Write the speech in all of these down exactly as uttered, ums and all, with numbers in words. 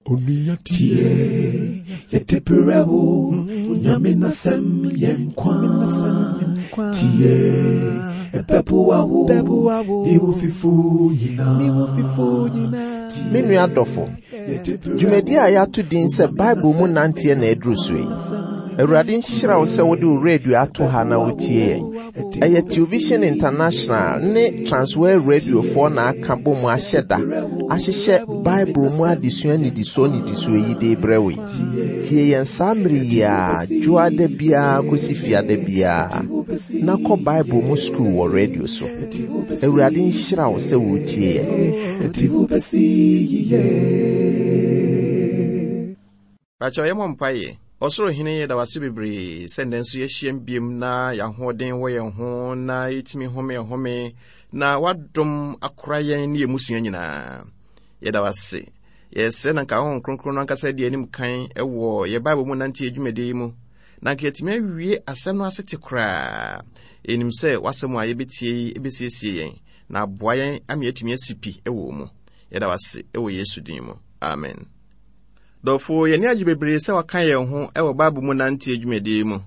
Onua tie, yɛde brɛ wo, Nyame n'asɛm yɛ nkwa. Tie, ɛbɛboa wo, ne wo fifo nyinaa. Me nua dɔfo, dwumadi a yɛato din sɛ Bible mu nanteɛ na aduru so yi. Awurade nhyira wo sɛ wode wo radio ato ha na wotie yɛn. Ɛyɛ Television International ne Transworld Radiofoɔ na aka bɔ mu ahyɛ da ahyehyɛ Bible mu adesua nnidisoɔ nnidisoɔ yi de brɛ wo yi. Tie yɛn saa mmere yi a dwoada biara kɔsi fiada biara na kɔ Bible mu sukuu wɔ radio so. Awurade nhyira wo sɛ woretie yɛn. Ɛde wo bɛsi yiye. Pakyɛ yɛmmɔ mpaeɛ. Ɔsoro hene, yɛda wase bebree sɛ nnɛ nso yɛahyiam biom na yɛahoɔden wɔ yɛn ho na yɛtumi home home na wadom akora yɛn ne yɛn mmusua nyinaa. Yɛda wase. Yɛsrɛ na nka Honhom Kronkron no ankasa di anim kan wɔ yɛ Bible mu nante adwumadie yi mu na nka yɛatumi awie asɛm no asete koraa. Yɛnim sɛ w'asɛm a yɛbɛtie yi bɛsiesie yɛn na aboa yɛn ama yɛatumi asi pi wɔ mu. Yɛda wase wɔ Yesu din mu. Amen. Dɔfo, yɛn ani agye bebree sɛ waka yɛn ho wɔ Bible mu nante adwumadie mu.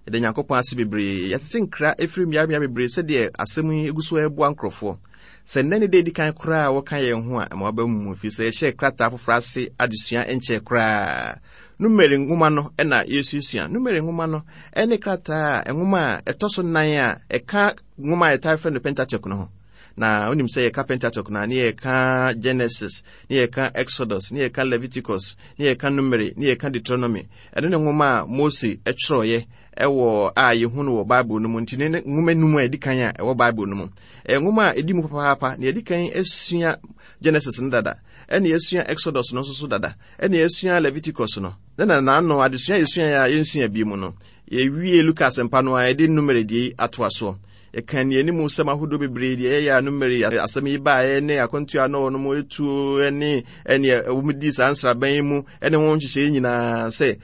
Yɛda Nyankopɔn ase bebree. Yɛtete nkra ɛfiri mmeammea bebree sɛdeɛ asɛm yi gu so ɛreboa nkurɔfoɔ. Sɛ nnɛ ne da edi kan koraa a wɔka yɛn ho a, ɛma waba mu, ɛfiri sɛ yɛhyɛɛ krataa foforɔ ase adesua nkyɛɛ koraa. Numeri nwoma no na yɛsuasua. Numeri nwoma no ne krataa a nwoma a ɛtɔ so nan a ɛka nwoma a yɛtaa frɛ no Pentateuch no ho. Na wonim sɛ yɛka Pentateuch no a, ne yɛka Genesis, ne yɛka Exodus, ne yɛka Leviticus, ne yɛka Numeri, ne yɛka Deuteronomy. Ɛno ne nwoma a Mose twerɛeɛ ɛwɔ a yɛhu no wɔ Bible no mu. Nti ne nwoma num a ɛdi kan a ɛwɔ Bible no mu. Ɛyɛ nwoma a ɛdi mu papaapa. Na yɛdi kan asua Genesis no dada, ɛne yɛasua Exodus no nso so dada, ɛne yɛasua Leviticus no. Ne na n'ano adesua yɛsua a yɛnsua bi mu no, yɛwie Luka asɛmpa no a yɛde Numeri deɛ yi atoa soɔ. Yɛka nneɛne mu nsɛm ahodoɔ bebree deɛ ɛyɛ a Numeri asɛm yi baeɛ ne akwantuo a na wɔnom etuo ne ɛneɛ wɔn di saa nsraban yi mu ne ho nhyehyɛeɛ nyinaa sɛ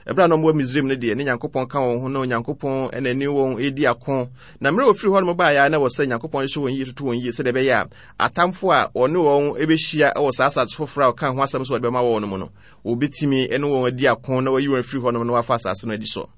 ɛberɛ a na wɔwɔ Misraim no deɛ ne Nyankopɔn ka wɔn ho na Onyankopɔn na ɛne wɔn redi ako. Na mmerɛ wɔfiri hɔ nom baeɛ a na wɔ sɛ Nyankopɔn hyehyɛ wɔn yie, toto wɔn yie sɛdeɛ ɛbɛyɛ a atamfo a wɔne wɔn bɛhyia wɔ saa asase foforɔ a ɔka ho asɛm sɛ wɔde bɛma wɔn no mu no, wɔbɛtumi ne wɔn adi ako na wɔayi wɔn afiri hɔ nom na wɔafa asase no adi so.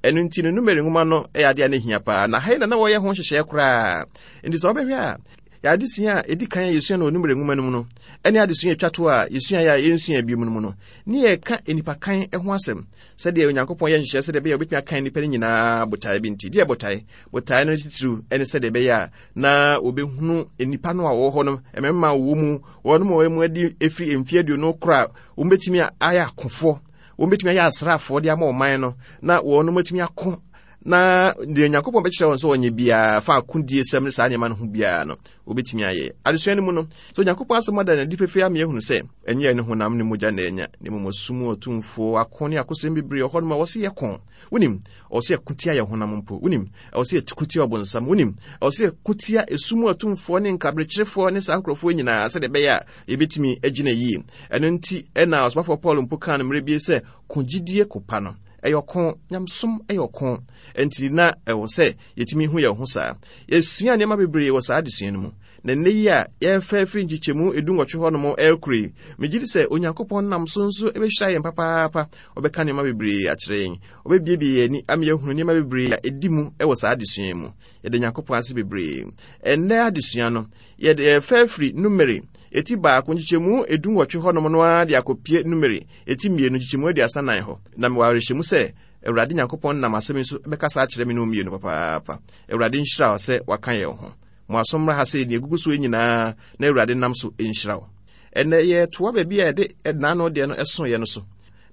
Ɛno nti no Numeri nwoma no yɛ adeɛ a na ɛhia paa, na ha yi na na wɔyɛ ho nhyehyɛeɛ koraa. Nti sɛ wobɛhwɛ a, yɛ adesua a ɛdi kan a yɛsua no wɔ Numeri nwoma no mu no ɛne adesua atwa to a yɛsua yɛ a yɛnsua bio no mu no, ne yɛka nnipa kan ho asɛm sɛdeɛ Onyankopɔn yɛ nhyehyɛeɛ sɛdeɛ ɛbɛyɛ a wobɛtumi akan nnipa no nyinaa botaeɛ bi nti. Deɛ botaeɛ botaeɛ no titiriw ne sɛdeɛ ɛbɛyɛ a na wɔbɛhunu nnipa no a wɔwɔ hɔ no, mmarima a wɔwɔ mu, wɔn a wɔn mu adi ɛfiri mfeɛ aduonu korɔ a wɔbɛtumi ayɛ akofoɔ, wɔbɛtumi ayɛ asraafoɔ de ama ɔman no, na wɔn atumi ako na deɛ Nyankopɔn bɛkyerɛ wɔn sɛ wɔnyɛ biara fa akodie sɛm ne saa nneɛma no ho biara no wɔbɛtumi ayɛ. Adesua no mu no, sɛ Onyankopɔn asɛm ada no adi pefee ama yɛahunu sɛ ɛnyɛ ne honam ne mogya na ɛnya, na mmom ɔsom ɔtumfoɔ ako ne akosɛm bebree wɔ hɔnom a wɔse yɛko. Wonim, ɔwɔ sɛ yɛko tia yɛn honam mpo. Wonim, ɛwɔ sɛ yɛko tia ɔbonsam. Wonim, ɛwɔ sɛ yɛko tia esum atumfoɔ ne nkabrekyerefoɔ ne saa nkurɔfoɔ nyinaa sɛdeɛ ɛbɛyɛ a yɛbɛtumi agyina yie. Ɛno nti ɛna ɔsomafoɔ Paul mpo kaa no mmerɛ bi sɛ ko gyidie ko pa no. Ɛyɛ ɔko, nyamesom ɛyɛ ɔko. Nti na ɛwɔ sɛ yɛtumi hu yɛn ho saa. Yɛsua nneɛma bebree wɔ saa adesua no mu. Na nnɛ yi a yɛrefa afiri nkyekyɛmu edu nwɔtwe hɔ nom ɛrekoro yi, megye di sɛ Onyankopɔn nam so nso bɛhyira yɛn papaapa. Ɔbɛka nneɛma bebree akyerɛ yɛn. Ɔbɛbiebie yɛn ani ama yɛahunu nneɛma bebree a ɛdi mu wɔ saa adesua yi mu. Yɛda Nyankopɔn ase bebree. Ɛnnɛ adesua no, yɛde yɛrefa afiri Numeri eti baako nkyekyɛmu edu nwɔtwe hɔ nom no ara de akɔpie Numeri eti mmienu nkyekyɛmu aduasa nan hɔ. Na mewɔ awerɛhyɛmu sɛ Awurade Nyankopɔn nam asɛm yi so bɛkasa akyerɛ me ne wo mmienu papaapa. Awurade nhyira wo sɛ waka yɛn ho. Mo aso mmra ha sɛ nea egugu so nyinaa na Awurade nam so nhyira wo. Ɛnnɛ yɛtoa baabi a yɛde n'ano deɛ no ɛso yɛ no so.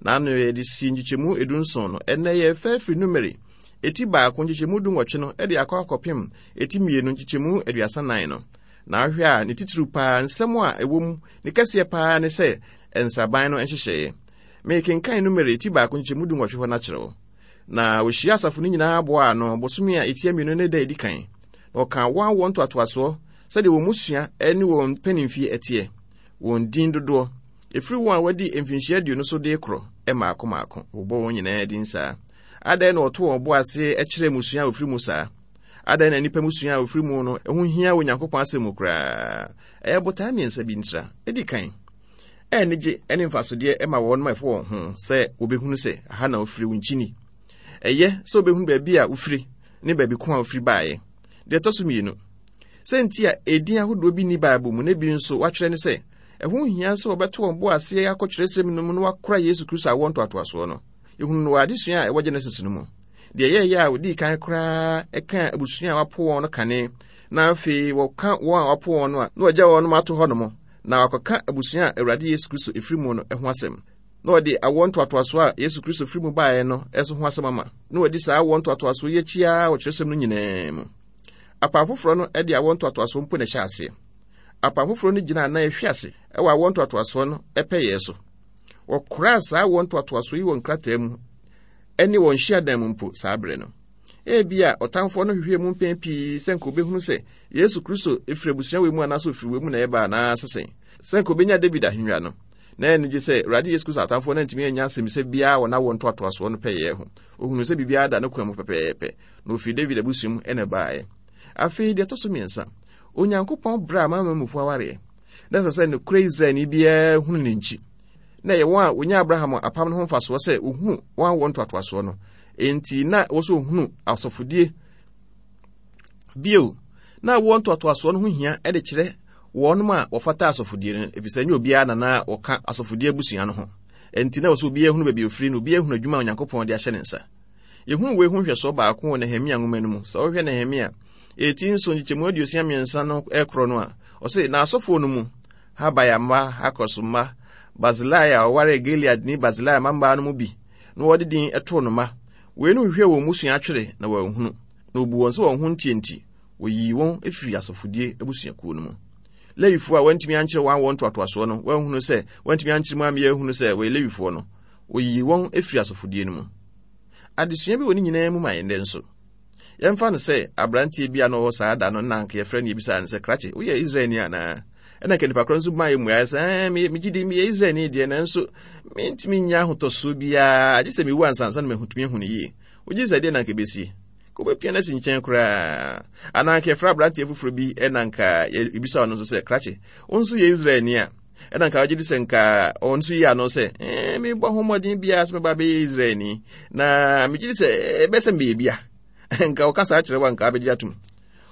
N'ano yɛde si nkyekyɛmu edu nson no. Ɛnnɛ yɛfa afiri Numeri eti baako nkyekyɛmu du nwɔtwe no de akɔ akɔpem eti mmienu nkyekyɛmu aduasa nan no. Na ahwɛ a ne titiriw paa nsɛm a ɛwɔ mu ne kɛseɛ paa ne sɛ nsraban no nhyehyɛeɛ. Mekenkan Numeri eti baako nkyekyɛmu du nwɔtwe hɔ no akyerɛ wo. Na wɔhyia asafo no nyinaa boaa ano bosome a ɛtia mmienu ne da edi kan. Na wɔkaa wɔn awoɔ ntoatoasoɔ sɛdeɛ wɔn mmusua ne wɔn mpanimfie ɛteɛ, wɔn din dodoɔ, ɛfiri wɔn a wɔadi mfinhyia aduonu so de korɔ mmaako mmaako. Wɔbɔ wɔn nyinaa din saa. Adɛn na wɔto wɔn bo ase kyerɛ mmusua a wɔfiri mu saa? Adɛn na nnipa mmusua a wɔfiri mu no ho hia wɔ Onyankopɔn asɛm mu koraa? Ɛyɛ botae mmiɛnsa bi ntira. Edi kan, Ɛnigye ne mfasodeɛ ma wɔn ma ɛfo wɔn ho sɛ wobɛhunu sɛ aha na wofiri wo nkyini. Ɛyɛ sɛ wobɛhunu baabi a wofiri ne baabi ko a wofiri baeɛ. Deɛ ɛtɔ so mmienu, sɛ nti a edin ahodoɔ bi nni Bible mu na bi nso wɔatwerɛ ne sɛ ɛho hia sɛ wɔbɛto wɔn bo aseɛ akɔ kyerɛsɛm no mu na wɔakora Yesu Kristo awoɔ ntoatoasoɔ no. Yɛhunu no wɔ adesua a ɛwɔ Genesis no mu. Deɛ ɛyɛeɛ a wɔdii kan koraa ɛka abusua a wɔapo wɔn no kane, na afei wɔka wɔn a wɔapo wɔn no a na wɔagya wɔn ato hɔ nom, na wɔakɔka abusua a Awurade Yesu Kristo ɛfiri mu no ho asɛm. Na wɔde awoɔ ntoatoasoɔ a Yesu Kristo firi mu baeɛ no nso ho asɛm ama, na wɔadi saa awoɔ ntoatoasoɔ yi akyi ara wɔ kyerɛsɛm no nyinaa mu. Apam foforɔ no de awoɔ ntoatoasoɔ mpo na ɛhyɛ aseɛ. Apam foforɔ no gyina anan ehwe ase wɔ awoɔ ntoatoasoɔ no pɛyɛ so. Wɔkoraa saa awoɔ ntoatoasoɔ yi wɔ nkrataa mu ne wɔn hyiadan mu mpo saa berɛ no. Ebia ɔtamfoɔ no hwehwɛɛ mu mpɛn pii sɛ nka obɛhunu sɛ Yesu Kristo firi abusua wei mu anaasɛ ofiri wei mu na ɛba anaasɛ sɛn, sɛ nka obɛnya David ahennwa no. Na ɛno gye sɛ Awurade Yesu Kristo atamfoɔ no antumi anya asɛmmisa biara wɔ n'awoɔ ntoatoasoɔ no pɛyɛ ho. Ohunu sɛ biribiara da ne kwan mu pɛpɛɛpɛ, na ofiri David abusua mu na ɛbaeɛ. Afei deɛ ɛtɔ so mmiɛnsa, Onyankopɔn brɛ amanamanmufoɔ awareɛ. Na ɛsɛ sɛ nokorɛ Israelni biara hunu ne nkyi. Na ɛyɛ wɔn a wɔnya Abraham apam no ho mfasoɔ sɛ wɔhunu wɔn awoɔ ntoatoasoɔ no. Enti na ɛwɔ sɛ wɔhunu asɔfodie. Bio, na awoɔ ntoatoasoɔ no ho hia de kyerɛ wɔn a wɔfata asɔfodie no, efisɛ ɛnyɛ obiara na na wɔka asɔfodie abusua no ho. Enti na ɛwɔ sɛ obiara hunu baabi ofiri na obiara hunu adwuma a Onyankopɔn de ahyɛ ne nsa. Yɛhunu wei ho nhwɛsoɔ baako wɔ Nehemia nwoma no mu. Sɛ wohwɛ Nehemia eti nson nkyekyɛmu aduosia mmiɛnsa no ɛkorɔ no a, ɔse, na asɔfoɔ no mu, Habaia mma, Hakos mma, Barsilai a ɔwaree Gileadni Barsilai mmammaa no mu bi, na wɔde din too no mma. Weinom hwehwɛɛ wɔn mmusua atwere na wɔanhunu, na wɔbu wɔn sɛ wɔn ho nteɛ nti, wɔyii wɔn firii asɔfodie abusuakuo no mu. Lewifoɔ a wɔantumi ankyerɛ wɔn awoɔ ntoatoasoɔ no, wɔanhunu sɛ wɔantumi ankyerɛ mu ammea ahunu sɛ wɔyɛ Lewifoɔ no, wɔyii wɔn firii asɔfodie no mu. Adesua bi wɔ ne nyinaa mu ma yɛn nnɛ nso. Yɛmfa no sɛ aberanteɛ bi a na ɔwɔ saa da no na anka yɛfrɛ no yɛbisaa no sɛ, krakye, woyɛ Israelni anaa? Ɛna nka nipa korɔ nso maa yɛ mmuaeɛ sɛ, ɛɛ, megye di meyɛ Israelni deɛ, nanso mentumi nnya ahotɔsoɔ biara, gye sɛ mewu ansa ansa na mahutumi ahu no yie. Wogye sɛ deɛ na anka ɛbɛsie? Ka wobɛpia no asi nkyɛn koraa. Anaa anka yɛfrɛ aberanteɛ foforɔ bi ɛna anka yɛbisa ɔno nso sɛ, krakye, wo nso yɛ Israelni a? Ɛna nka wogye di sɛ nka ɔno nso yi ano sɛ, ɛɛ, mebɔ ho mmɔden biara sɛ mɛba abɛyɛ Israelni, na megye di sɛ ɛbɛyɛ sɛ mebɛyɛ bia. Nka ɔka saa kyerɛ wo a, nka abɛgye atom.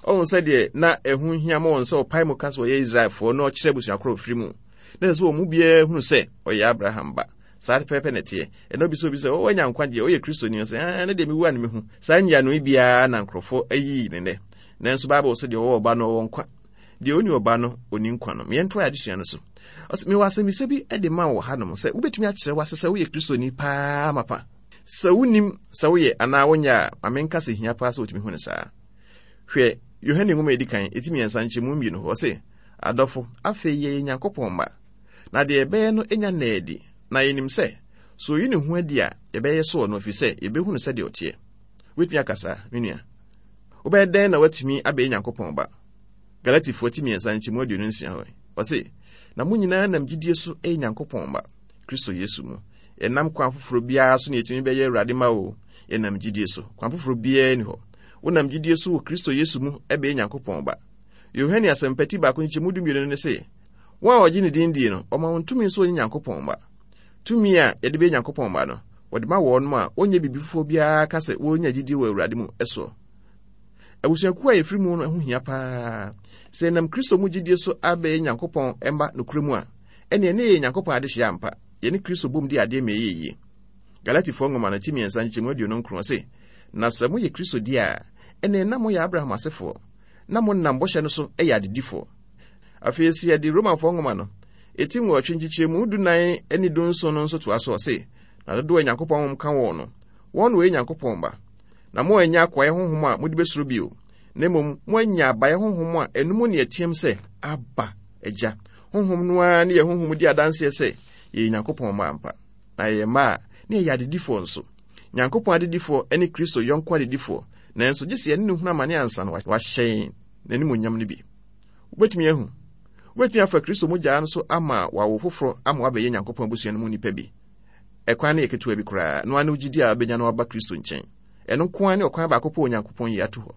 Ɔhu sɛ deɛ na ɛho hia ma wɔn sɛ ɔpae mu ka sɛ ɔyɛ Israelfoɔ na ɔkyerɛ abusua korɔ firi mu. Na ɛsɛ sɛ wɔn mu biara hunu sɛ ɔyɛ Abraham ba. Saa pɛpɛpɛ na ɛteɛ. Ɛna obi sɛ obi sɛ ɔwɔ anya nkwagyeɛ, ɔyɛ Kristoni, ɔsɛ ɛɛ ne deɛ mewu a ne mehu. Saa nyiano yi biara na nkurɔfoɔ ayi ne nnɛ. Nanso Bible sɛ deɛ ɔwɔ ɔba no ɔwɔ nkwa. Deɛ ɔnni ɔba no ɔnni nkwa no. Meɛntoa yɛ adesua no so. Ɔsɛ mewɔ asɛmmisa bi de ma wɔ hanom sɛ wobɛtumi akyerɛ w'ase sɛ woyɛ Kristoni paa mapa. Sɛ wonim sɛ woyɛ anaa wonyɛ a, ma menka sɛ hia paa sɛ wotumi hu no saa. Hwɛ Yohane nwoma a edi kan, eti mmiɛnsa nkyɛmu mmienu hɔ, ɔse, adɔfo, afei yɛyɛ Nyankopɔn mma, na deɛ yɛbɛyɛ no nya nnaa adi, na yɛnim sɛ, sɛ oyi ne ho adi a, yɛbɛyɛ sɛ ɔno, ɛfiri sɛ yɛbɛhu no sɛdeɛ ɔteɛ. Wobɛtumi aka saa, me nua? Wobɛyɛ dɛn na woatumi abɛyɛ Nyankopɔn ba? Galatifoɔ ti mmiɛnsa nkyɛmu aduonu nsia hɔ, ɔse, na mo nyinaa nam gyidie so yɛ Nyankopɔn mma, Kristo Yesu mu. Yɛnam kwan foforɔ biara so na yɛtumi bɛyɛ Awurade ma o, yɛnam gyidie so. Kwan foforɔ biara ni hɔ. Wonam gyidie so wɔ Kristo Yesu mu ɛbɛyɛ Nyankopɔn ba. Yohane asɛmpati baako nkyɛmu dumienu no ne se, wɔn a wɔgye ne din die no, ɔma wɔn tumi nso wɔnyɛ Nyankopɔn mma. Tumi a yɛde bɛyɛ Nyankopɔn mma no, wɔde ma wɔn a wɔnyɛ biribi foforɔ biara ka sɛ wɔnya gyidie wɔ Awurade mu soɔ. Abusuakuo a yɛfiri mu no ho hia paa. Sɛ yɛnam Kristo mu gyidie so abɛyɛ Nyankopɔn mma nokorɛ mu a, ɛneɛ ne yɛyɛ Nyankopɔn adehyeɛ ampa. Yɛne Kristo bom di adeɛ ma ɛyɛ yie. Galatifoɔ nwoma no ti mmiɛnsa nkyɛmu aduonu nkron se, na sɛ moyɛ Kristo di a, ɛneɛ na moyɛ Abraham asefoɔ, na monam bɔhyɛ no so yɛ adedifoɔ. Afei sɛ yɛde Romanfoɔ nwoma no ɛti nwɔtwe nkyekyɛmu dunan ne dunson no nso toa so, ɔse, na dodoɔ a Nyankopɔn honhom ka wɔn no, wɔn na wɔyɛ Nyankopɔn mma. Na moannya akoayɛ honhom a mode bɛsuro bio, na mmom moanya abayɛ honhom a ɛno mu ne ɛteɛm sɛ, Abba, Agya. Honhom no ara ne yɛn honhom di adanseɛ sɛ yɛyɛ Nyankopɔn mma ampa. Na yɛyɛ mma a, na yɛyɛ adedifoɔ nso. Nyankopɔn adedifoɔ ne Kristo yɔnko adedifoɔ, nanso gye sɛ yɛne no hunu amane ansa na wahyɛ yɛn n'animuonyam no bi. Wobɛtumi ahu. Wobɛtumi afa Kristo mogya no so ama wawo foforɔ ama wabɛyɛ Nyankopɔn abusua no mu nipa bi. Ɛkwan no yɛ ketewa bi koraa, no ara ne gyidi a wobɛnya no aba Kristo nkyɛn. Ɛno nko ara ne ɔkwan baako pɛ Onyankopɔn yi ato hɔ.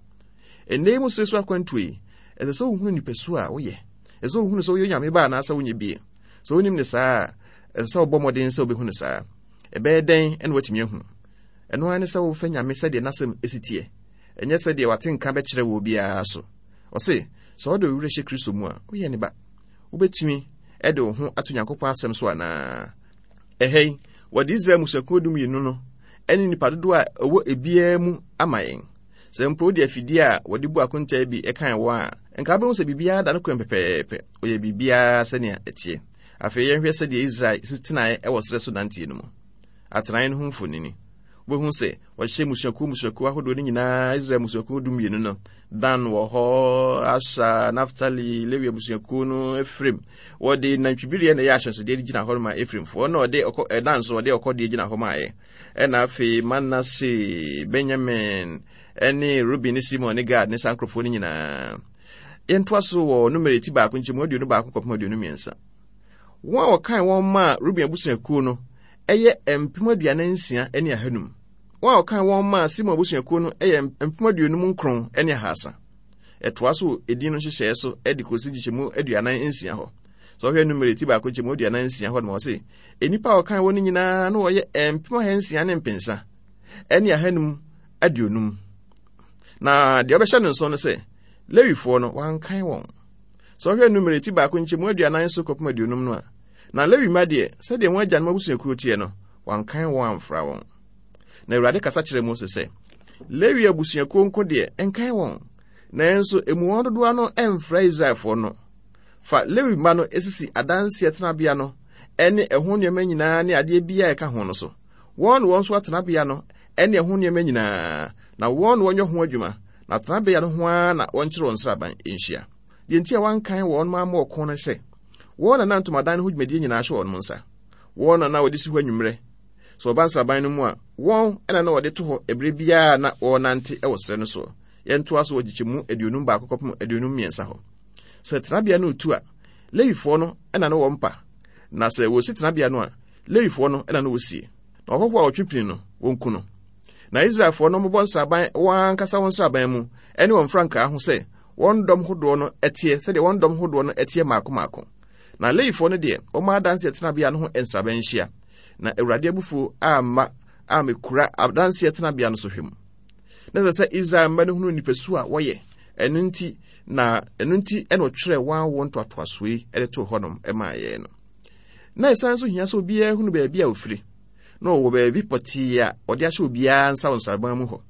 Ɛnnɛ yi mu sere so akwantuo yi, ɛsɛ sɛ wohunu nipasu a woyɛ. Ɛsɛ sɛ wohunu sɛ woyɛ Onyame ba anaasɛ wonyɛ bie. Sɛ wonim ne saa a, ɛsɛ sɛ wobɔ mmɔden sɛ wobɛhu no saa. Ɛbɛyɛ dɛn ɛna woatumi ahu? Ɛno ara ne sɛ wofɛ Nyame sɛdeɛ n'asɛm esi teɛ, ɛnyɛ sɛdeɛ wate nka bɛkyerɛ wɔ obiara so. Ɔse, sɛ wode wo werɛ hyɛ Kristo mu a, woyɛ ne ba. Wobɛtumi ɛde wo ho ato Nyankopɔn asɛm so anaa? Ɛha yi, wɔde Israel mmusuakuo dumienu no ɛne nnipa dodoɔ a ɛwɔ ebiara mu ama yɛn. Sɛ mpo wode afidie a wɔde bu akontaa bi ɛkan wɔn a, nka wobɛhu sɛ biribiara da no kwan pɛpɛɛpɛ. Ɔyɛ biribiara sɛnea ɛteɛ. Afei yɛnhwɛ sɛdeɛ Israel si tenaeɛ ɛwɔ serɛ so nanteɛ no mu. Atenaeɛ no ho mfonini. Wobɛhu sɛ wɔhyehyɛ mmusuakuo mmusuakuo ahodoɔ no nyinaa, Israel mmusuakuo dumienu no. Dan wɔ hɔ, Asher, Naftali, Lewi abusuakuo no, Efraim. Wɔde nantwibereɛ na ɛyɛ ahyɛnsodeɛ de gyina hɔ ma Efraimfoɔ, na ɔde ɔkɔ ɛdan nso wɔde ɔkɔdeɛ gyina hɔ maayɛ. Ɛna afei Manase, Benyamin, ɛne Ruben ne Simon ne Gad ne saa nkurɔfoɔ no nyinaa. Yɛntoa so wɔ Numeri ti baako nkyɛmu aduonu baako kɔpem aduonu mmiɛnsa. Wɔn a wɔkan wɔn maa Ruben abusuakuo no ɛyɛ mpem aduanan nsia ne ahanum. Wɔn a wɔkan wɔn maa Simon abusuakuo no yɛ mpem aduonum nkron ne ahasa. Ɛtoa so edin no nhyehyɛeɛ so de kɔsi nkyekyɛmu aduanan nsia hɔ. Sɛ ɔhwɛ Numeri ti baako nkyɛmu aduanan nsia hɔ no, ɔse nnipa a wɔkan wɔn no nyinaa no wɔyɛ mpem ahansia ne mpensa ne ahanum aduonum. Na deɛ ɔbɛhyɛ no nso no sɛ Lewifoɔ no wɔankan wɔn. Sɛ ɔhwɛ Numeri ti baako nkyɛmu aduanan so kɔpem aduonum no a, na Lewi mma deɛ, sɛdeɛ wɔn agyanom abusuakuo teɛ no, wɔankan wɔn amfra wɔn. Na Awurade kasa kyerɛɛ Mose sɛ, Lewi abusuakuo nko deɛ, nkan wɔn, nanso emu wɔn dodoɔ ano mfra Israelfoɔ no. Fa Lewi mma no esisi adanseɛ tenabea no ne ɛho nneɛma nyinaa ne adeɛ biara a ɛka ho no so. Wɔn na wɔn nso atenabea no ne ɛho nneɛma nyinaa, na wɔn na wɔnyɛ ho adwuma, na tenabea no ho ara na wɔnkyerɛ wɔn nsraban nhyia. Deɛ nti a wɔankan wɔn amma ɔko no sɛ, wɔn na na ntomadan no ho dwumadie nyinaa hyɛ wɔn nsa. Wɔn na na wɔde si hɔ anwummerɛ. Sɛ wɔba nsraban no mu a, wɔn na na wɔde to hɔ ɛberɛ biara na wɔrenante wɔ serɛ no soɔ. Yɛntoa so wɔ nkyekyɛmu aduonum baako kɔpem aduonum mmiɛnsa hɔ. Sɛ tenabea no retu a, Lewifoɔ no na na wɔmpa, na sɛ wɔsi tenabea no a, Lewifoɔ no na na wɔsie. Na ɔhɔhoɔ a ɔtwe pini no, wɔnku no. Na Israelfoɔ no mmobɔ nsraban wɔn ankasa wɔn nsraban mu ne wɔn mfrankaa ho sɛ wɔn dɔm hodoɔ no teɛ, sɛdeɛ wɔn dɔm hodoɔ no teɛ mmaako mmaako. Na Lewifoɔ no deɛ, wɔma adanseɛ tenabea no ho nsraban nhyia. Na Awurade abufuo amma ammɛkura adanseɛ tenabea no so hwɛ mu. Na ɛsɛ sɛ Israel mma no hunu nipasu a wɔyɛ. Ɛno nti na ɛno nti ɛna ɔtwerɛ wɔn awoɔ ntoatoasoɔ yi de too hɔnom maa yɛn no. Na ɛsan nso hia sɛ obiara hunu baabi a ofiri, na ɔwɔ baabi pɔtee a ɔde ahyɛ obiara nsa wɔ nsraban mu hɔ.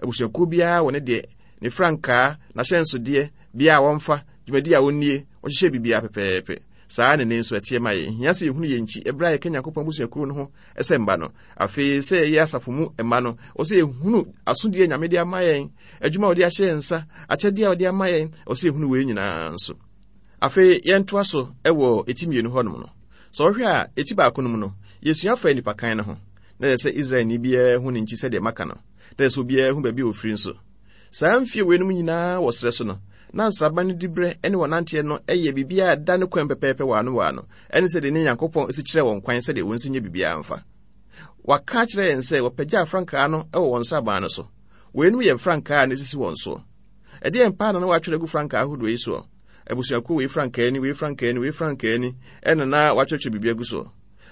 Abusuakuo biara wɔ ne deɛ, ne frankaa, n'ahyɛnsodeɛ, bea a wɔmfa, dwumadi a wɔnnie, wɔhyehyɛ biribiara pɛpɛɛpɛ. Saa na ne nso ɛteɛ ma yɛn. Hia sɛ yɛhunu yɛn nkyi ɛberɛ a yɛka Nyankopɔn abusuakuo no ho sɛ mma no. Afei sɛ yɛyɛ asafo mu mma no, ɔsɛ yɛhunu asodie a Nyame de ama yɛn, adwuma a ɔde ahyɛ yɛn nsa, akyɛdeɛ a ɔde ama yɛn, ɔsɛ yɛhunu wei nyinaa nso. Afei yɛntoa so wɔ eti mmienu hɔnom no. Sɛ ɔhwɛ a, eti baako no mu no, yɛsua fa nipa kan no ho. Na ɛsɛ sɛ Israelni biara hu ne nkyi sɛdeɛ maka no. Na ɛsɛ sɛ obiara hu baabi a ofiri nso. Saa mfie weinom nyinaa wɔ serɛ so no, na nsraban no diberɛ ne wɔn nanteɛ no yɛ biribiara a ɛda ne kwan pɛpɛɛpɛ wɔ ano wɔ ano, ɛne sɛdeɛ ne Nyankopɔn si kyerɛ wɔn kwan sɛdeɛ wɔn nsi nyɛ biribiara mfa. Wɔaka akyerɛ yɛn sɛ wɔpagyaa frankaa no wɔ wɔn nsraban no so. Weinom yɛ frankaa a na esisi wɔn soɔ. Ɛdeɛn paa na na wɔatwerɛ agu frankaa ahodoɔ yi soɔ? Abusuakuo wei frankaa ni, wei frankaa ni, wei frankaa ni, ɛna na wɔatwerɛtwerɛ biribi agu soɔ.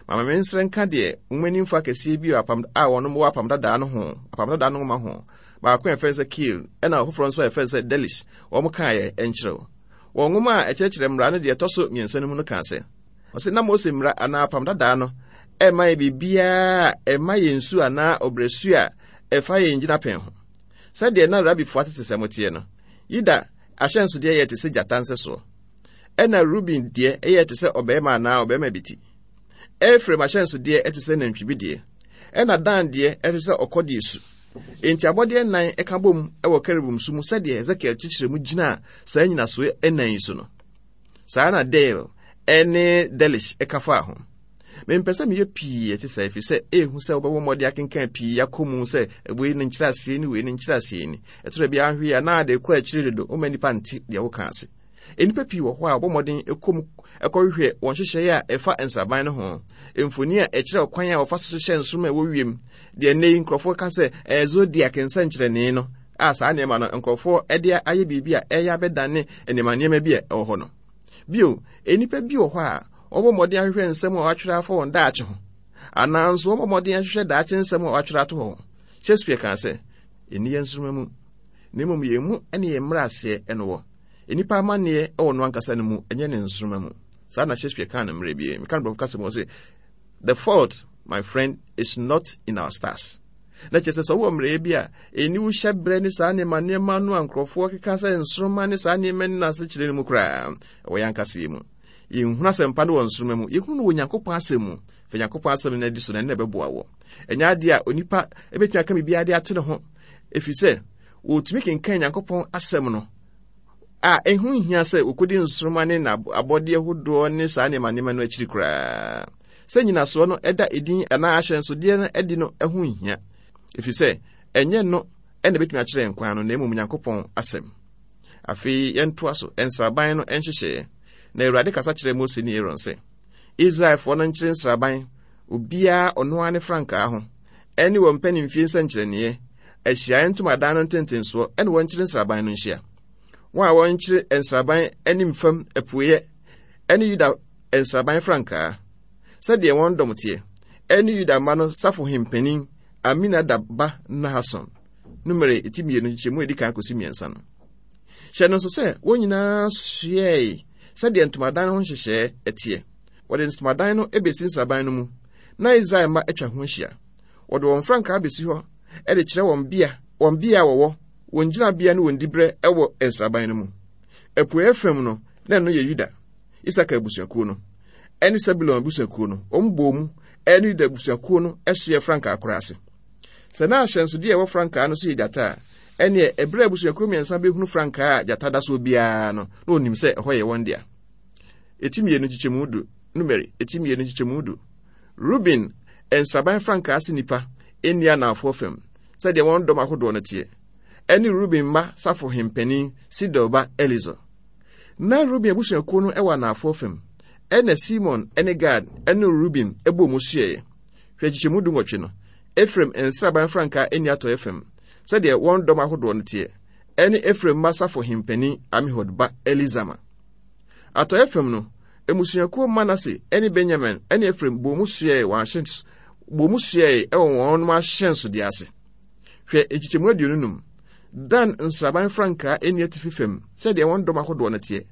Mama me nsrɛ nka deɛ nwomanimfoɔ akɛseɛ bi apam a wɔn wɔ apam dadaa no ho, apam dadaa no nwoma ho. Baako a yɛfrɛ no sɛ Keil, ɛna ɔfoforɔ nso a yɛfrɛ no sɛ Delitzsch, wɔn kaeɛ nkyerɛw. Wɔn nwoma a ɛkyerɛkyerɛ mmara no deɛ ɛtɔ so mmiɛnsa no mu no kaa sɛ, ɔsɛ na Mose mmara anaa apam dadaa no ɛmma yɛ biribiara a ɛma yɛn su anaa ɔbrɛsu a ɛfa yɛn gyinapɛn ho. Sɛdeɛ na rabifoɔ atetesɛm teɛ no, Yuda ahyɛnsodeɛ yɛ te sɛ gyata nsɛsoɔ, ɛna Ruben deɛ ɛyɛ te sɛ ɔbarima anaa ɔbarima bi ti. Efraim ahyɛnsodeɛ te sɛ nantwi bi deɛ, ɛna Dan deɛ ɛte sɛ ɔkɔdeɛ su. Enti abɔdeɛ nnan ka bom wɔ kerubim so mu sɛdeɛ Hesekiel kyekyerɛ mu gyinaa saa nnyinasoɔ nnan yi so no. Saa na Dale ne Delitzsch ka faa ho. Mempɛ sɛ meyɛ pii ɛte saa ɛfiri sɛ ɛhu sɛ wobɛbɔ mmɔden akenkan pii akɔ mu sɛ wei ne nkyerɛaseɛ ni, wei ne nkyerɛaseɛ ni. Ɛtɔ bi ahwe a na ade kɔ akyiri dodo, woma nnipa nte deɛ woka ase. Nnipa pii wɔ hɔ a wɔbɔ mmɔden kɔ mu kɔhwehwɛ wɔn nhyehyɛeɛ a ɛfa nsraban no ho, mfoni a ɛkyerɛ ɔkwan a wɔfa so hyehyɛ nsoromma a ɛwɔ wiem, deɛ nnɛ yi nkurɔfoɔ ka sɛ ɛyɛ zodiac nsɛnkyerɛnne no, a saa nneɛma no nkurɔfoɔ de ayɛ biribi a ɛyɛ abɛdane nneɛma nneɛma bi a ɛwɔ hɔ no. Bio, nnipa bi wɔ hɔ a Wɔbɔ mmɔden ahwehwɛ nsɛm a wɔatwerɛ afa wɔn daakye ho, anaa nso wɔbɔ mmɔden ahwehwɛ daakye nsɛm a wɔatwerɛ ato hɔ. Shakespeare kaa sɛ, ɛnni yɛn nsoromma mu, na mmom yɛn mu ne yɛn mmaraseɛ no wɔ. Nnipa amanneɛ wɔ no ankasa no mu, ɛnyɛ ne nsoromma mu. Saa na Shakespeare kaa no mmerɛ bi. Meka no borɔfo kasa mu, ɔse, "The fault, my friend, is not in our stars." Na kyerɛ sɛ sɛ wowɔ mmerɛyɛ bi a ɛni wo hyɛ berɛ ne saa nneɛma nneɛma no a nkurɔfoɔ keka sɛ nsoromma ne saa nneɛma no ase kyerɛ no mu koraa, ɛwɔ yɛn ankasa yi mu. Yɛnhunu asɛmpa no wɔ nsoromma mu, yɛhunu no wɔ Nyankopɔn asɛm mu. Fa Nyankopɔn asɛm no adi so na ɛno na ɛbɛboa wɔ. Ɛnyɛ adeɛ a onipa ɛbɛtumi aka biribiara de ate ne ho, ɛfiri sɛ wɔtumi kenkan Nyankopɔn asɛm no a ɛho nhia sɛ wɔkɔdi nsoromma ne abɔdeɛ hodoɔ ne saa nneɛma nneɛma no akyiri koraa. Sɛ nyinasoɔ no ɛda edin anaa ahyɛnsodeɛ no adi no ɛho nhia, ɛfiri sɛ ɛnyɛ no ɛna ɛbɛtumi akyerɛ nkwan no, na mmom Nyankopɔn asɛm. Afei yɛntoa so, nsraban no nhyehyɛeɛ. Na Awurade kasa kyerɛɛ Mose ne Aaron sɛ, Israelfoɔ no nkyere nsraban, obiara ɔno ara ne frankaa ho, ɛne wɔn mpanimfie nsɛnkyerɛnneɛ, ahyiaeɛ ntomadan no ntentensoɔ, ɛne wɔnkyere nsraban no nhyia. Wɔn a wɔnkyere nsraban anim fam apueeɛ, ɛne Yuda nsraban frankaa, sɛdeɛ wɔn dɔm teɛ, ɛne Yuda mma no safohempanin Aminadab ba Nahason. Numere eti mmienu nkyɛmu a edi kan kɔsi mmiɛnsa no. Hyɛ no nso sɛ wɔn nyinaa soɛe sɛdeɛ ntomadan ho nhyehyɛɛ ɛteɛ. Wɔde ntomadan no ebesi nsraban no mu, na Israel mma atwa ho ahyia. Wɔde wɔn frankaa besi hɔ de kyerɛ wɔn bea, wɔn bea a wɔwɔ, wɔn gyinabea ne wɔn diberɛ wɔ nsraban no mu. Apueeɛ fam no, na ɛno yɛ Yuda, Isakar abusuakuo no, ɛne Sebulon abusuakuo no. Wɔn bɔɔ mu ɛne Yuda abusuakuo no soɛ frankaa koro ase. Sɛ na ahyɛnsodeɛ a ɛwɔ frankaa no so yɛ gyata a, ɛneɛ ɛberɛ a abusuakuo mmiɛnsa bɛhunu frankaa a gyata da soɔ biara no, na wɔnim sɛ ɛhɔ yɛ wɔn dea. Eti mmienu nkyekyɛmu du, Numeri, eti mmienu nkyekyɛmu du. Ruben nsraban frankaa ase nnipa nni anaafoɔ fam, sɛdeɛ wɔn dɔm ahodoɔ no teɛ, ɛne Ruben mma safohempanin Sidel ba Elisur. Na Ruben abusuakuo no wɔ anaafoɔ fam, ɛna Simon ne Gad ne Ruben bɔɔ mu suaeɛ. Hwɛ nkyekyɛmu du nwɔtwe no. Efraim nsraban frankaa nni atɔeɛ fam, sɛdeɛ wɔn dɔm ahodoɔ no teɛ, ɛne Efraim mma safohempanin Amihud ba Elisama. Atɔeɛ fam no, mmusuakuo Manase ne Benyamin ne Efraim bɔɔ mu suae wɔn ahyɛns bɔɔ mu suae wɔ wɔn ahyɛnsodeɛ ase. Hwɛ nkyekyɛmu aduonu num. Dan nsraban frankaa nni atifi fam, sɛdeɛ wɔn dɔm ahodoɔ no teɛ,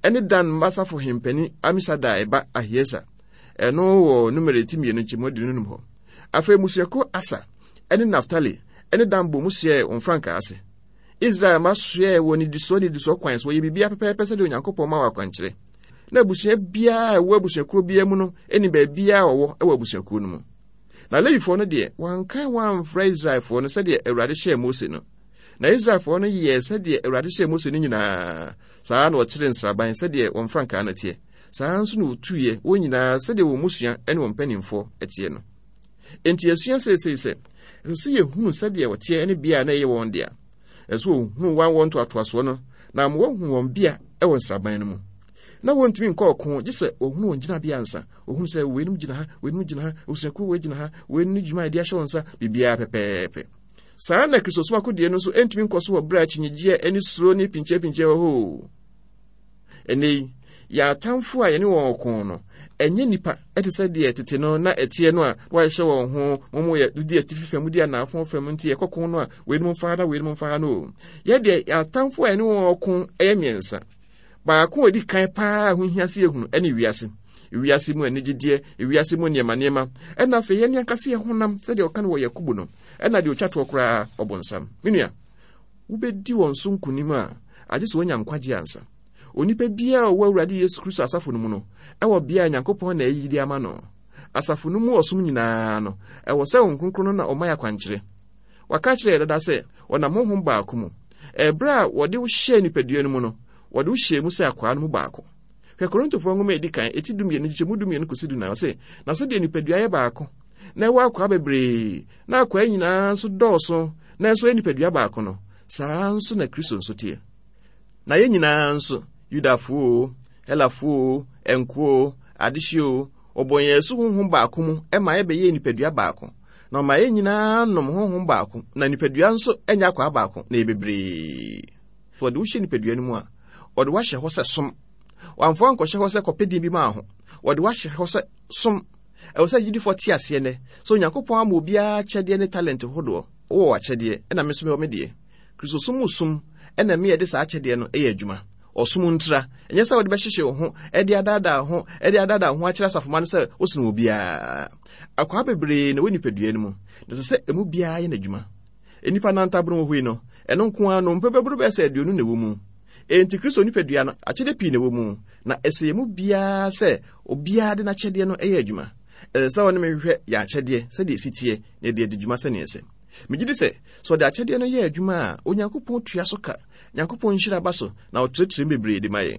ɛne Dan mma safohempanin Amisadai ba Ahieser. Ɛno wɔ Numeri ti mmienu nkyɛmu aduonu num hɔ. Afei mmusuakuo Asa ne Naftali ne Dan bɔɔ mu suae wɔn frankaa ase. Israel mma soɛɛ wɔ nnidisoɔ nnidisoɔ kwan so, wɔyɛ biribiara pɛpɛɛpɛ sɛdeɛ Onyankopɔn ma wɔ akwankyerɛ. Na abusua biara a ɛwɔ abusuakuo biara mu no nim baabiara a wɔwɔ wɔ abusuakuo no mu. Na Lewifoɔ no deɛ, wɔankan wɔn amfra Israelfoɔ no sɛdeɛ Awurade hyɛɛ Mose no. Na Israelfoɔ no yɛɛ sɛdeɛ Awurade hyɛɛ Mose no nyinaa. Saa na wɔkyeree nsraban sɛdeɛ wɔn frankaa no teɛ. Saa nso na wɔtuiɛ wɔn nyinaa sɛdeɛ wɔn mmusua ne wɔn mpanimfoɔ teɛ no. Enti yɛsua seesei sɛ, ɛsɛ sɛ yɛhunu sɛdeɛ wɔteɛ ne bea a na ɛyɛ wɔn dea. Ɛsɛ sɛ wɔhunu wɔn wɔn ntoatoasoɔ no na ama wɔahu wɔn bea wɔ nsraban no mu. Na wɔntumi nkɔ ɔko gye sɛ wɔhunu wɔn gyinabea ansa. Wɔhunu sɛ weinom gyina ha, weinom gyina ha, abusuakuo wei gyina ha, wei ne dwuma a yɛde ahyɛ wɔn nsa, biribiara pɛpɛɛpɛ. Saa na Kristosom akodie no nso ntumi nkɔ so wɔ berɛ a akyinnyegyeɛ ne suro ne pinkyɛpinkyɛ wɔ hɔ. Ɛnnɛ yi, yɛn atamfo a yɛne wɔn ko no, ɛnyɛ nnipa te sɛ deɛ tete no na ɛteɛ no a wɔahyehyɛ wɔn ho, wɔn yɛ di atifi fam, di anaafo fam, nti yɛkɔ ko no a weinom mfa ha na weinom mfa ha no o. Yɛ deɛ yɛn atamfo a yɛne wɔn ko yɛ mmiɛnsa. Baako a ɛdi kan paa a ho hia sɛ yɛhunu ne wiase. Wiase mu anigyedeɛ, wiase mu nneɛma nneɛma, ɛna afei yɛn ankasa yɛn honam sɛdeɛ ɔka no wɔ Yakobo no, ɛna deɛ ɔtwa toɔ koraa ɔbonsam. Me nua, wobɛdi wɔn so nkonim a, agye sɛ woanya nkwagye ansa. Onipa biara a ɔwɔ Awurade Yesu Kristo asafo no mu no, ɛwɔ bea a Nyankopɔn na ayi de ama no. Asafo no mu ɔsom nyinaa no, ɛwɔ sɛ Honhom Kronkron no na ɔma yɛ akwankyerɛ. Waka akyerɛ yɛ dada sɛ ɔnam honhom baako mu. Ɛberɛ a wɔde wo hyɛɛ nipadua no mu no, wɔde wo hyɛɛ mu sɛ akwaa no mu baako. Hwɛ Korintofoɔ nwoma a ɛdi kan, eti dumienu, nkyekyɛmu dumienu kɔsi dunan, ɔse, na sɛdeɛ nipadua yɛ baako, na ɛwɔ akwaa bebree, na akwaa nyinaa nso dɔɔso, nanso ɛyɛ nipadua baako no, saa nso na Kristo nso teɛ. Na yɛn nyinaa nso, Yudafoɔ o, Helafoɔ o, nkoa o, adehyeɛ o, wɔbɔ yɛn asu honhom baako mu ma yɛbɛyɛɛ nipadua baako. Na ɔma yɛn nyinaa nom honhom baako, na nipadua nso nyɛ akwaa baako, na ɛyɛ bebree. Sɛ wɔde wo hyɛ nipadua no mu a, wɔde wo ahyɛ hɔ sɛ som. Wɔamfa wo ankɔhyɛ hɔ sɛ kɔpɛ din bi ma wo ho. Wɔde wahyɛ hɔ sɛ som. Ɛwɔ sɛ agyidifoɔ te aseɛ nnɛ sɛ Onyankopɔn ama obiara akyɛdeɛ ne talent hodoɔ. Wowɔ w'akyɛdeɛ, ɛna me nso mewɔ me deɛ. Kristosom mu som ɛna me yɛde saa akyɛdeɛ no ɛyɛ adwuma. Ɔsom ntira, ɛnyɛ sɛ wode bɛhyehyɛ wo ho, ɛde adaadaa wo ho, ɛde adaadaa wo ho akyerɛ asafomma no sɛ wosene obiara. Akwaa bebree na ɛwɔ nipadua no mu, na ɛsɛ sɛ emu biara yɛ n'adwuma. Nnipa nantabon wɔ hɔ yi no, ɛno nko ara no, nnompe bɛboro bɛyɛ sɛ aduonu na ɛwɔ mu. Enti Kristo nipadua no, akyɛdeɛ pii na ɛwɔ mu, na ɛsɛ yɛn mu biara sɛ obiara de n'akyɛdeɛ no yɛ adwuma. Ɛsɛ sɛ ɔne me hwehwɛ yɛn akyɛdeɛ sɛdeɛ ɛsi teɛ na yɛde adi dwuma sɛnea ɛsɛ. Megye di sɛ, sɛ ɔde akyɛdeɛ no yɛ adwuma a, Onyankopɔn tua so ka. Nyankopɔn nhyira ba so na ɔtrɛtrɛ mu bebree de ma yɛn.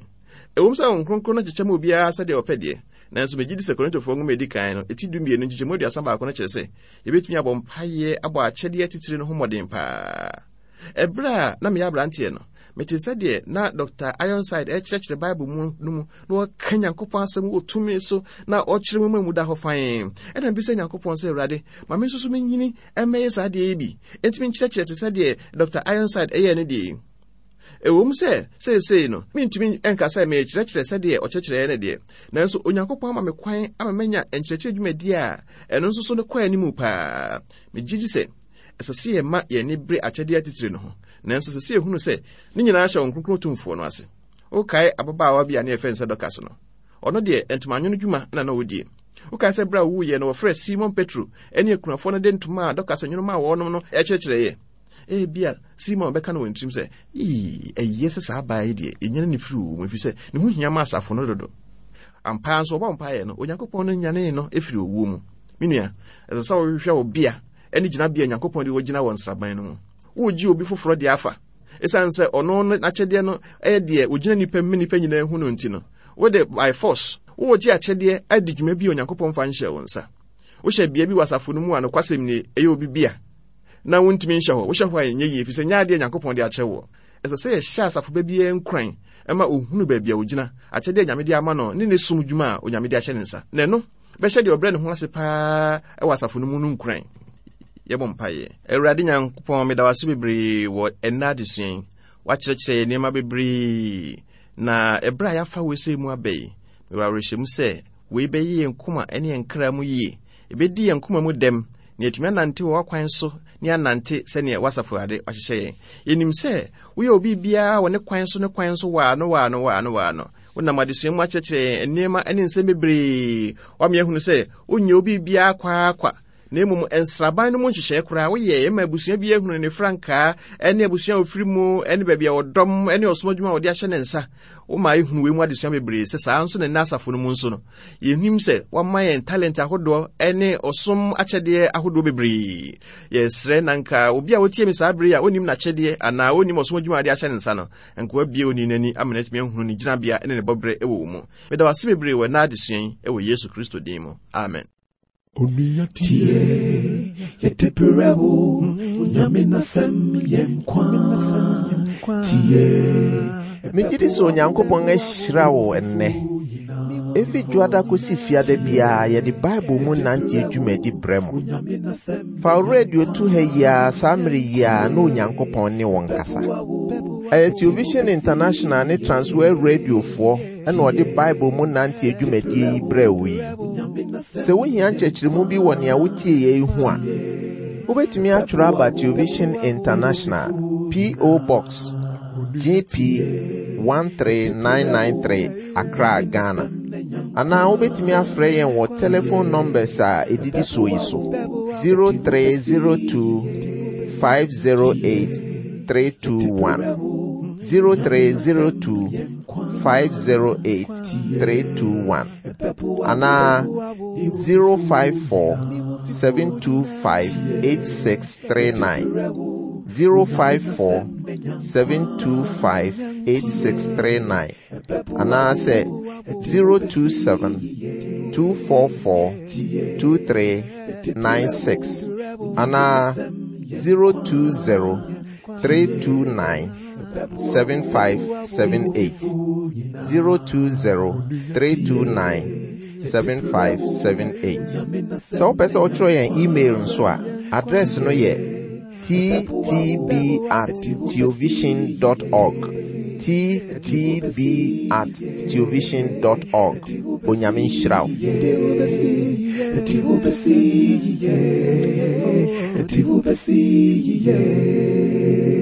Ɛwom sɛ Honhom Kronkron no kyekyɛ ma obiara sɛdeɛ ɔpɛ deɛ, nanso megye di sɛ Korintofoɔ nwoma a ɛdi kan no, eti dumienu nkyekyɛmu aduasa baako no kyerɛ sɛ yɛbɛtumi abɔ mpaeɛ abɔ akyɛdeɛ atitire no ho mmɔden paa. Ɛberɛ a na meyɛ aberanteɛ no, metee sɛdeɛ na Dɔkta Ironside ɛrekyerɛkyerɛ Bible mu no mu na ɔka Nyankopɔn asɛm wɔ tumi so na ɔkyerɛ mu ma mu da hɔ fann. Ɛna mebisa Nyankopɔn sɛ, Awurade, ma me nso so menyini mmɛyɛ saa adeɛ yi bi, enti menkyerɛkyerɛ te sɛ deɛ Dɔkta Ironside ɛyɛɛ no deɛ yi. Ɛwom sɛ seesei no mentumi nka sɛ merekyerɛkyerɛ sɛdeɛ ɔkyerɛkyerɛeɛ no deɛ, nanso Onyankopɔn ama me kwan ama manya nkyerɛkyerɛ dwumadie a ɛno nso so no kɔ anim paa. Megye di sɛ ɛsɛ sɛ yɛma yɛn ani bere akyɛdeɛ atitire no ho, nanso ɛsɛ sɛ yɛhunu sɛ ne nyinaa hyɛ Honhom Kronkron Tumfoɔ no ase. Wokae ababaawa bi a ne yɛfrɛ no sɛ Dorcas no? Ɔno deɛ, ntomanwono dwuma na na ɔdie. Wokae sɛ berɛ a ɔwuiɛ no wɔfrɛɛ Simon Petro ne akunafoɔ no de ntoma a Dorcas nwono maa wɔnom no kyerɛkyerɛeɛ? Ebia Simon bɛka no wɔ ne tirim sɛ, Ii, ɛyɛ sɛ saa baa yi deɛ, yɛnyane no firi owu mu, ɛfiri sɛ ne ho hia ma asafo no dodo. Ampa ara nso, ɔbɔɔ mpaeɛ no, Onyankopɔn no nyanee no firii owuo mu. Me nua, ɛsɛ sɛ wohwehwɛ wo bea ne gyinabea a Onyankopɔn de wo gyina wɔ nsraban no mu. Woregye obi foforɔ deɛ afa. Esiane sɛ ɔno no n'akyɛdeɛ no yɛ deɛ ogyina nnipa mu ma nnipa nyinaa hu no nti no, wode by force woregye akyɛdeɛ adi dwuma bi a Onyankopɔn mfa nhyɛɛ wo nsa. Wohyɛ bea bi wɔ asafo no mu a nokwasɛm nie, ɛyɛ obi bea na wontumi nhyɛ hɔ. Wohyɛ hɔ a ɛnyɛ yie, efisɛ ɛnyɛ adeɛ a Nyankopɔn de akyɛ woɔ. Ɛsɛ sɛ yɛhyɛ asafo ba biara nkuran ma ɔhunu baabi a ɔgyina, akyɛdeɛ a Nyame de ama no ne ne som dwuma a Onyame de ahyɛ ne nsa. Na ɛno bɛhyɛ deɛ ɔbrɛ ne ho ase paa wɔ asafo no mu no nkuran. Yɛbɔ mpaeɛ. Awurade Nyankopɔn, meda wo ase bebree wɔ ɛnnɛ adesua yi. Woakyerɛkyerɛ yɛn nneɛma bebree, na ɛberɛ a yɛafa wei sei mu aba yi, mewɔ awerɛhyɛmu sɛ wei bɛyɛ yɛn koma ne yɛn kra mu yie. Ɛbɛdi yɛn koma mu dɛm, na yɛatumi anante wɔ w'akwan so ne anante sɛdeɛ w'asafo Awurade wahyehyɛ yɛn. Yɛnim sɛ woyɛ obi biara wɔ ne kwan so ne kwan so waano waano waano waano. Wonam adesua mu akyerɛkyerɛ yɛn nneɛma ne nsɛm bebree. Woama yɛahunu sɛ wonyɛ obi biara kwaakwa, na mmom nsraban no mu nhyehyɛe koraa woyɛ ma abusua bi ahunu ne frankaa ne abusua a ofiri mu ne baabi a wɔdɔm ne ɔsom adwuma a wɔde ahyɛ ne nsa. Woma ehunu wei mu adesua bebree sɛ saa nso na nnɛ asafo no mu nso no yɛnim sɛ wama yɛn talent ahodoɔ ne ɔsom akyɛdeɛ ahodoɔ bebree. Yɛsrɛ na nka obi a wotie me saa bere a onim n'akyɛdeɛ anaa onim ɔsom adwuma a wɔde ahyɛ ne nsa no, nka wabue onii no ani ama no atumi ahunu ne gyinabea ne ne bɔberɛ wɔ wo mu. Meda wo ase bebree wɔ ɛnnɛ adesua yi wɔ Yesu Kristo din mu. Amen. Onua tie, yɛde brɛ wo, Onyame n'asɛm yɛ nkwa. Tie. Megye di sɛ Onyankopɔn ahyira wo ɛnnɛ. Efi Dwoada kosi Fiada biara yɛde Bible mu nante dwumadi brɛ mo. Fa wo radio to ha yi ara saa mmere yi ara na Onyankopɔn ne wo nkasa. Ɛyɛ Television International ne Transworld Radiofoɔ ɛna ɔde Bible mu nante dwumadie yi brɛ wo yi. Sɛ wohia nkyerɛkyerɛmu bi wɔ nea wotie yɛ yi ho a, wobɛtumi atwerɛ aba Television International, P O. Box G P one three nine nine three, Accra, Ghana. Anaa wobɛtumi afrɛ yɛn wɔ telephone numbers a ɛdidi soɔ yi so: zero three zero two five zero eight three two one, zero three zero two five zero eight three two one, anaa zero five four seven two five eight six three nine, zero five four seven two five eight six three nine, anaasɛ zero two seven two four four two three nine six, anaa zero two zero three two nine seven five seven eight, zero two zero three two nine seven five seven eight. Sɛ wopɛ sɛ wotwerɛ yɛn email nso a, address no yɛ T T B at theovision dot org. T T B at theovision dot org. Onyame nhyira wo. Ɛde wo bɛsi yie, ɛde wo bɛsi yie.